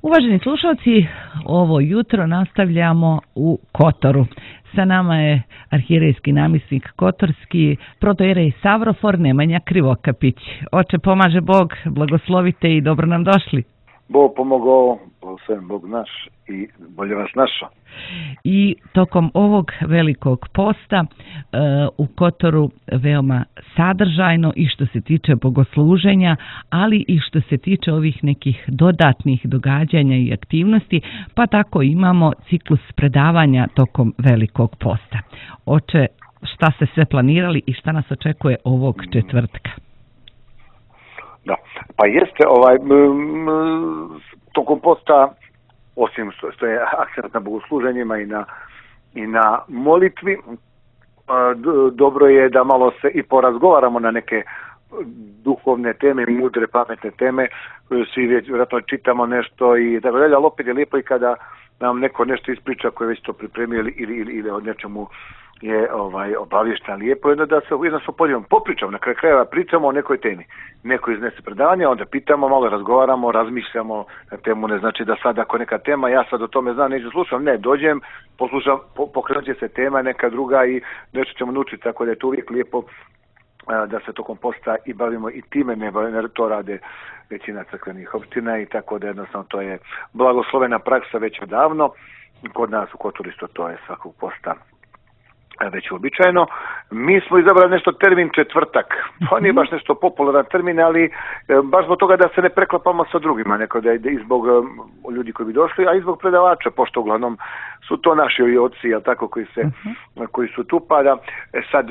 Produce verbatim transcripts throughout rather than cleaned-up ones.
Uvaženi slušalci, ovo jutro nastavljamo u Kotoru. Sa nama je arhijerejski namjesnik Kotorski, protoijerej Savrofor Nemanja Krivokapić. Oče, pomaže Bog, blagoslovite i dobro nam došli. Bog pomogao, blagosloven Bog naš i bolje vas našao. I tokom ovog velikog posta e, u Kotoru veoma sadržajno i što se tiče bogosluženja, ali i što se tiče ovih nekih dodatnih događanja i aktivnosti, pa tako imamo ciklus predavanja tokom velikog posta. Oče, šta ste sve planirali i šta nas očekuje ovog četvrtka? Da, pa jeste ovaj m, m, tokom posta, osim što, što je akcent na bogosluženjima i na, i na molitvi, dobro je da malo se i porazgovaramo na neke duhovne teme, mudre, pametne teme, svi vjerojatno čitamo nešto i tako dalje, ali opet je lijepo i kada nam neko nešto ispriča koje već to pripremio ili, ili, ili o nečemu je ovaj obavješten, lijepo je da se jednostavno podijelimo, popričamo, na kraju krajeva pričamo o nekoj temi. Neko iznese predavanje, onda pitamo, malo razgovaramo, razmišljamo na temu, ne znači da sad ako neka tema, ja sad o tome znam, neću slušam, ne, dođem, poslušam, po, pokrenut će se tema neka druga i nešto ćemo naučiti, tako da je to uvijek lijepo da se tokom posta i bavimo i time, ne bavimo, to rade većina crkvenih opština i tako da jednostavno to je blagoslovena praksa već odavno. Kod nas u Kotoru isto to je svakog posta već uobičajeno. Mi smo izabrali nešto termin četvrtak. To nije baš nešto popularan termin, ali baš zbog toga da se ne preklapamo sa drugima, neko da je i zbog ljudi koji bi došli, a i zbog predavača, pošto uglavnom su to naši oci, jel tako, koji se uh-huh. koji su tu, pa da e sad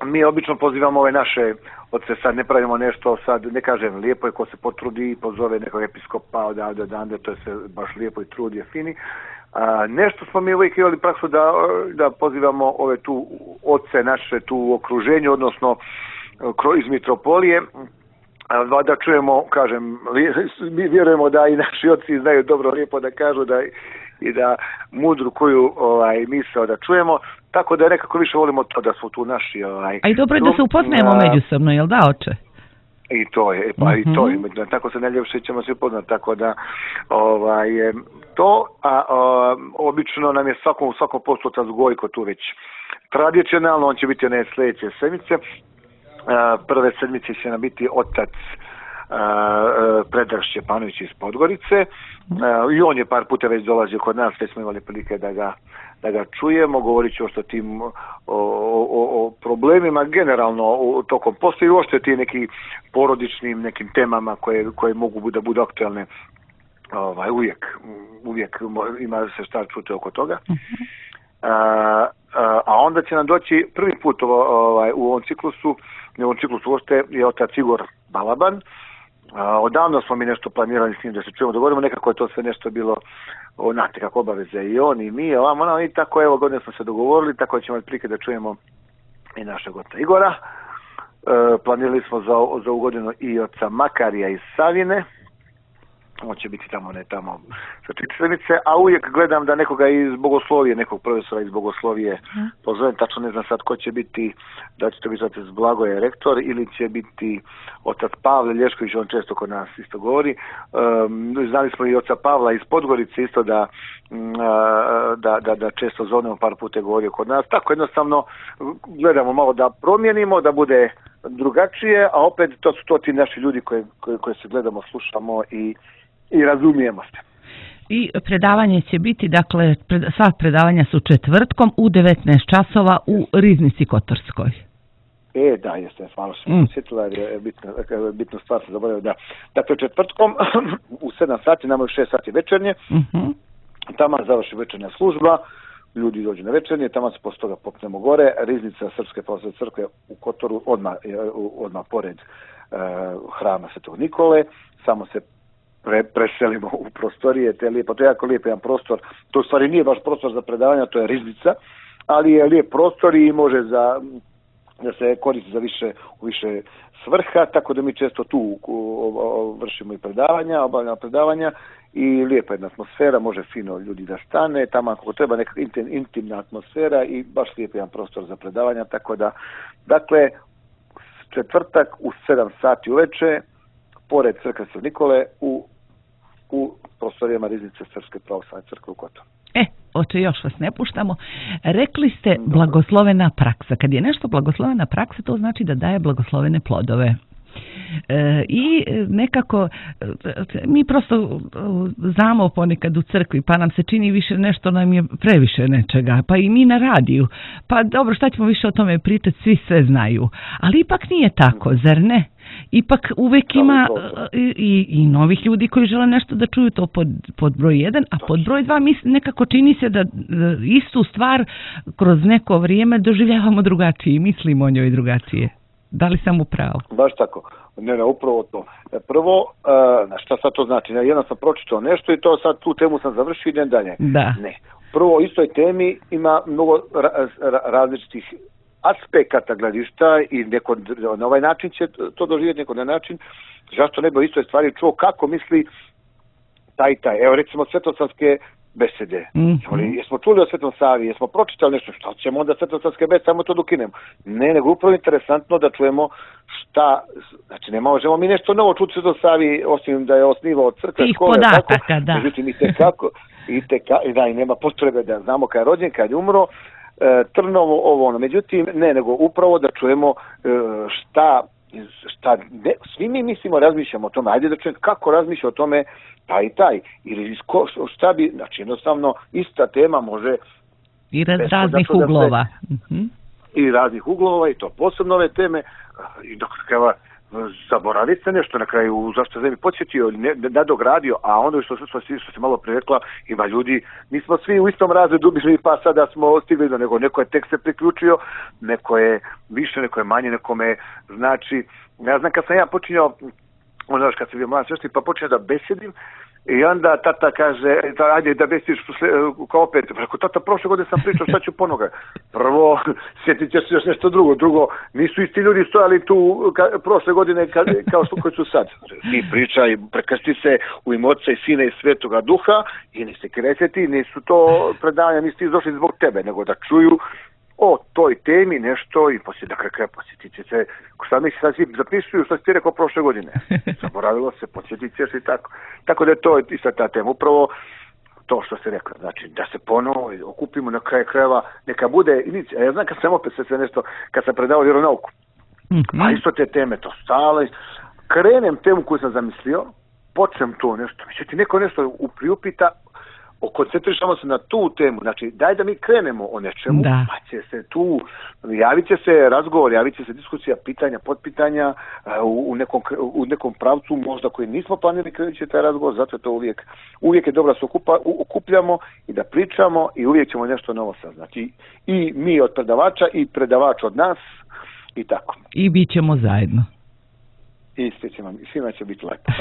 mi obično pozivamo ove naše oce, sad ne pravimo nešto, sad ne kažem, lijepo je ko se potrudi i pozove nekog episkopa odavde odande, to je sve baš lijepo i trud je fini. A, nešto smo mi uvijek imali praksu da, da pozivamo ove tu oce naše tu u okruženju, odnosno iz mitropolije, a, da čujemo, kažem, mi vjerujemo da i naši oci znaju dobro lijepo da kažu da i da mudru koju ovaj, misao da čujemo, tako da nekako više volimo to da su tu naši... Ovaj, a i dobro je da se upoznajemo a, međusobno, jel da, oče? I to je, pa uh-huh. i to je, tako se ne ljepše ćemo se upoznati, tako da ovaj, to, a, a obično nam je svakom, svakom postu otac Gojko tu već tradicionalno, on će biti one sljedeće sedmice, a, prve sedmice će nam biti otac Predrag Šćepanović iz Podgorice uh, i on je par puta već dolazio kod nas, već smo imali prilike da ga, da ga čujemo, govorit ću o tim o, o, o problemima generalno o, tokom posta i uopšte ti neki porodičnim nekim temama koje, koje mogu da budu aktualne ovaj, uvijek, uvijek ima se šta čuti oko toga. Uh, a, a onda će nam doći prvi put ovaj, u ovom ciklusu, u ovom ciklusu uopšte je otac Igor Balaban. A, odavno smo mi nešto planirali s njim da se čujemo, dogovorimo, nekako je to sve nešto bilo onate kako obaveze i on i mi, ovamo, no, i tako evo godine smo se dogovorili, tako ćemo prilike da čujemo i našeg oca Igora. E, planirali smo za, za ovu godinu i oca Makarija iz Savine, on će biti tamo, ne tamo sa četvrnice, a uvijek gledam da nekoga iz bogoslovije, nekog profesora iz bogoslovije hmm. pozovem, tačno ne znam sad ko će biti, da će to biti otac Blagoje rektor ili će biti otac Pavle Lješković, on često kod nas isto govori. Um, znali smo i oca Pavla iz Podgorice isto da, um, da, da, da često zovnemo, par puta govorio kod nas, tako jednostavno gledamo malo da promijenimo, da bude drugačije, a opet to su to ti naši ljudi koje, koje, koje se gledamo, slušamo i i razumijemo se. I predavanje će biti, dakle, pred, sva predavanja su četvrtkom u devetnaest časova u Riznici Kotorskoj. E, da, jeste, hvala što mm. sjetila, jer je bitna, bitna stvar se zaboravio, da. Dakle, četvrtkom u sedam sati, nama u šest sati večernje, mm-hmm. tamo završi večernja služba, ljudi dođu na večernje, tamo se posle toga popnemo gore, Riznica Srpske pravoslavne crkve u Kotoru, odmah, odmah pored uh, hrama Svetog Nikole, samo se Pre, preselimo u prostorije, te lijepo, to je jako lijep jedan prostor, to u stvari nije baš prostor za predavanja, to je riznica, ali je lijep prostor i može za, da se koristi za više, u više svrha, tako da mi često tu vršimo i predavanja, obavljamo predavanja i lijepa jedna atmosfera, može fino ljudi da stane, tamo ako treba neka intimna atmosfera i baš lijep jedan prostor za predavanja, tako da, dakle, četvrtak u sedam sati uveče, pored crkve Sv. Nikole u, u prostorijama Riznice Srpske pravoslavne crkve u Kotoru. E, oče, još vas ne puštamo. Rekli ste blagoslovena praksa. Kad je nešto blagoslovena praksa, to znači da daje blagoslovene plodove. E, I nekako mi prosto znamo ponekad u crkvi, pa nam se čini više nešto, nam je previše nečega, pa i mi na radiju, pa dobro, šta ćemo više o tome pričati, svi sve znaju, ali ipak nije tako, zar ne? Ipak uvek ima i, i, i novih ljudi koji žele nešto da čuju, to pod, pod broj jedan, a pod broj dva mi nekako čini se da istu stvar kroz neko vrijeme doživljavamo drugačije i mislimo o njoj drugačije. Da li sam upravo? Baš tako. Ne, ne, upravo to. Prvo, uh, šta sad to znači? Jedno sam pročitao nešto i to sad tu temu sam završio i idem dalje. Da. Ne. Prvo, u istoj temi ima mnogo ra- ra- različitih aspekata gledišta i neko na ovaj način će to doživjeti, neko na način. Zašto ne bi o istoj stvari čuo kako misli taj taj. Evo recimo svetosavske besede. Mm-hmm. Jesmo čuli o Svetom Savi, jesmo pročitali nešto, šta ćemo onda svetosavske besede, samo to dokinemo. Ne, nego upravo interesantno da čujemo šta, znači ne možemo mi nešto novo čuti Svetom Savi, osim da je osnivao crkve, tih škole, podataka, tako. Da. Međutim, i tekako, i tekako, da, i nema potrebe da znamo kad je rođen, kad je umro, e, Trnovo, ovo ono. Međutim, ne, nego upravo da čujemo e, šta, šta ne, svi mi mislimo, razmišljamo o tome, ajde da čujemo kako razmišlja o tome taj i taj, ili ko, šta bi, znači jednostavno ista tema može i raz, raznih uglova se, mm-hmm. i raznih uglova i to posebno ove teme i dok treba zaboraviti se nešto na kraju, zašto se mi podsjetio, ne, nadogradio, a onda što, što, što se malo prirekla, ima ljudi, nismo svi u istom razredu bili, pa sada smo stigli do nego, neko je tek se priključio, neko je više, neko je manje, nekome znači, ja znam kad sam ja počinjao, onda kad sam bio mlad sveštenik, pa počinjao da besedim, i onda tata kaže, ajde da besiš kao opet. Preko tata, prošle godine sam pričao, šta ću ponoga? Prvo, sjetit ćeš još nešto drugo. Drugo, nisu isti ljudi stojali tu ka, prošle godine ka, kao što koji su sad. Ti pričaj, prekrsti se u ime Otca i Sina i Svetoga Duha i ni se kreseti, nisu to predavanja, nisu ti došli zbog tebe, nego da čuju o toj temi nešto i poslije da kraj posjetiti se, šta mi se sad svi zapisuju što si ti rekao prošle godine. Zaboravilo se, posjetiti ćeš i tako. Tako da je to isto ta tema. Upravo to što se rekao, znači da se ponovo okupimo na kraju krajeva, neka bude, a ja znam kad sam opet sve nešto, kad sam predavao vjeronauku, mm-hmm. a isto te teme, to stale, krenem temu koju sam zamislio, počnem to nešto, ti neko nešto priupita, koncentrišamo se na tu temu, znači daj da mi krenemo o nečemu, da. Pa će se tu, javit će se razgovor, javit će se diskusija, pitanja, potpitanja u, u, nekom, u nekom pravcu možda koji nismo planili krenut će taj razgovor, zato je to uvijek, uvijek je dobro da se okupa, okupljamo i da pričamo i uvijek ćemo nešto novo saznati. I mi od predavača i predavač od nas i tako. I bit ćemo zajedno. I svima će biti lepo.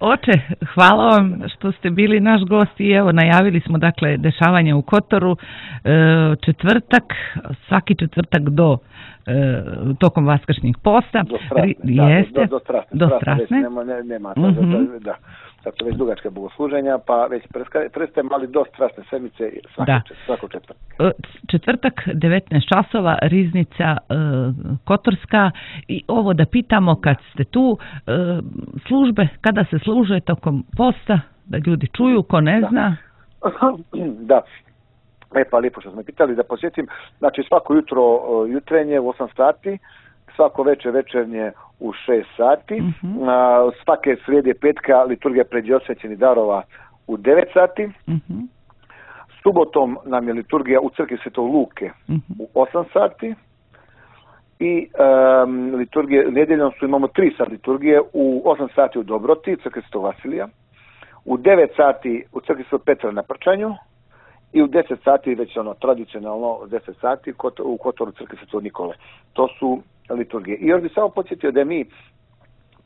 Oče, hvala vam što ste bili naš gost i evo najavili smo dakle dešavanja u Kotoru, četvrtak, svaki četvrtak do tokom vaskršnjeg posta. Do strasne, da, jeste, do, do, do strasne. Do strasne. Nema, ne, nema, mm-hmm. da, da. Sad su već dugačke bogosluženja, pa već prestajemo, ali do strasne sedmice svako četvrtak. Četvrtak, devetnaest časova, Riznica e, Kotorska. I ovo da pitamo kad ste tu, e, službe, kada se služe tokom posta, da ljudi čuju, ko ne da. zna. Da. E pa lijepo što smo pitali, da posjetim, znači svako jutro jutrenje u osam sati, svako večer večernje u šest sati, mm-hmm. a, svake srijede petka liturgija predosvećenih darova u devet sati, mm-hmm. subotom nam je liturgija u crkvi Svetog Luke mm-hmm. u osam sati i um, liturgije, nedjeljom su imamo tri sat liturgije, u osam sati u Dobroti, u crkvi Svetog Vasilija, u devet sati u crkvi Svetog Petra na Prčanju i u deset sati, već ono tradicionalno deset sati u Kotoru crkvi Svetog Nikole. To su liturgije. I još bih samo podsjetio da mi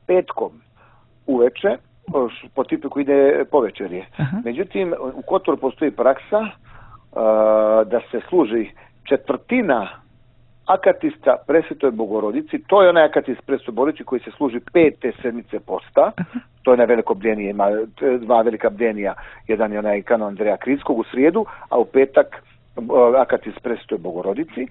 petkom uveče, po tipu koji ide po večerje. Aha. Međutim, u Kotoru postoji praksa uh, da se služi četvrtina akatista Presvetoj Bogorodici, to je onaj akatist Presvetoj Bogorodici koji se služi pete sedmice posta, aha. To je na veliko bdenije, ima dva velika bdenija, jedan je onaj kanon Andreja Krinskog u srijedu, a u petak uh, akatist Presvetoj Bogorodici.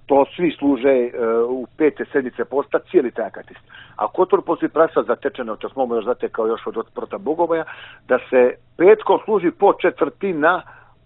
to svi služe u pete sedmice posta, cijeli taj akatist. A Kotor poslije praksa zatečena, što smo još zatekao još od otprota Bogoboja, da se petkom služi po četvrtina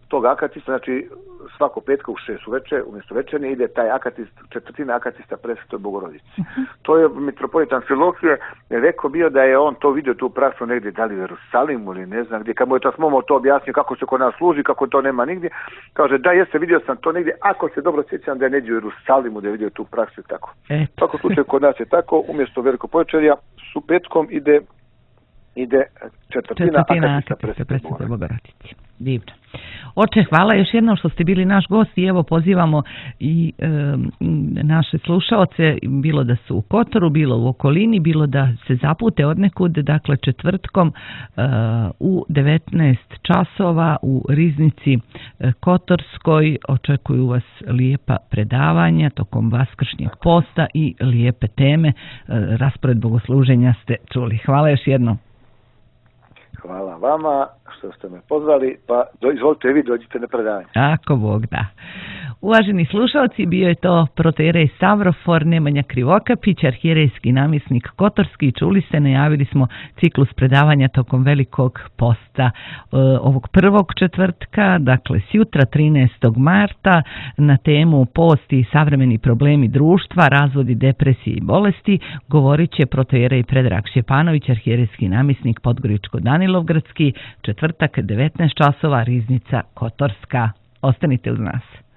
tog akatista, znači svako petka u šest uveče, umjesto večernje ide taj akatist, četvrtina akatista Presvetoj Bogorodici. Uh-huh. To je mitropolit Amfilohije rekao bio da je on to vidio tu praksu negdje, da li u Jerusalimu ili ne znam gdje, kad mu je Tasmomo to objasnio kako se kod nas služi, kako to nema nigdje, kaže da jeste, vidio sam to negdje, ako se dobro sjećam da je negdje u Jerusalimu da je vidio tu praksu i tako. U svakom slučaju kod nas je tako, umjesto Velikopočerja su petkom ide ide četvrtina, četvrtina akatista Presvetoj Bogorodici. Divno. Oče, hvala još jednom što ste bili naš gost i evo pozivamo i e, naše slušaoce, bilo da su u Kotoru, bilo u okolini, bilo da se zapute odnekud, dakle četvrtkom e, u devetnaest časova u Riznici e, Kotorskoj očekuju vas lijepa predavanja tokom vaskršnjeg posta i lijepe teme. E, raspored bogosluženja ste čuli. Hvala još jednom. Hvala vama što ste me pozvali, pa do, izvolite vi, dođite na predavanje. Ako Bog da. Uvaženi slušalci, bio je to protoijerej Stavrofor Nemanja Krivokapić, arhijerejski namjesnik Kotorski. Čuli ste, najavili smo ciklus predavanja tokom Velikog posta e, ovog prvog četvrtka, dakle sjutra trinaestog marta, na temu post i savremeni problemi društva, razvodi, depresije i bolesti, govorit će protoijerej Predrag Šćepanović, arhijerejski namjesnik Podgoričko-Danilovgradski, četvrtak devetnaest časova, Riznica Kotorska. Ostanite uz nas.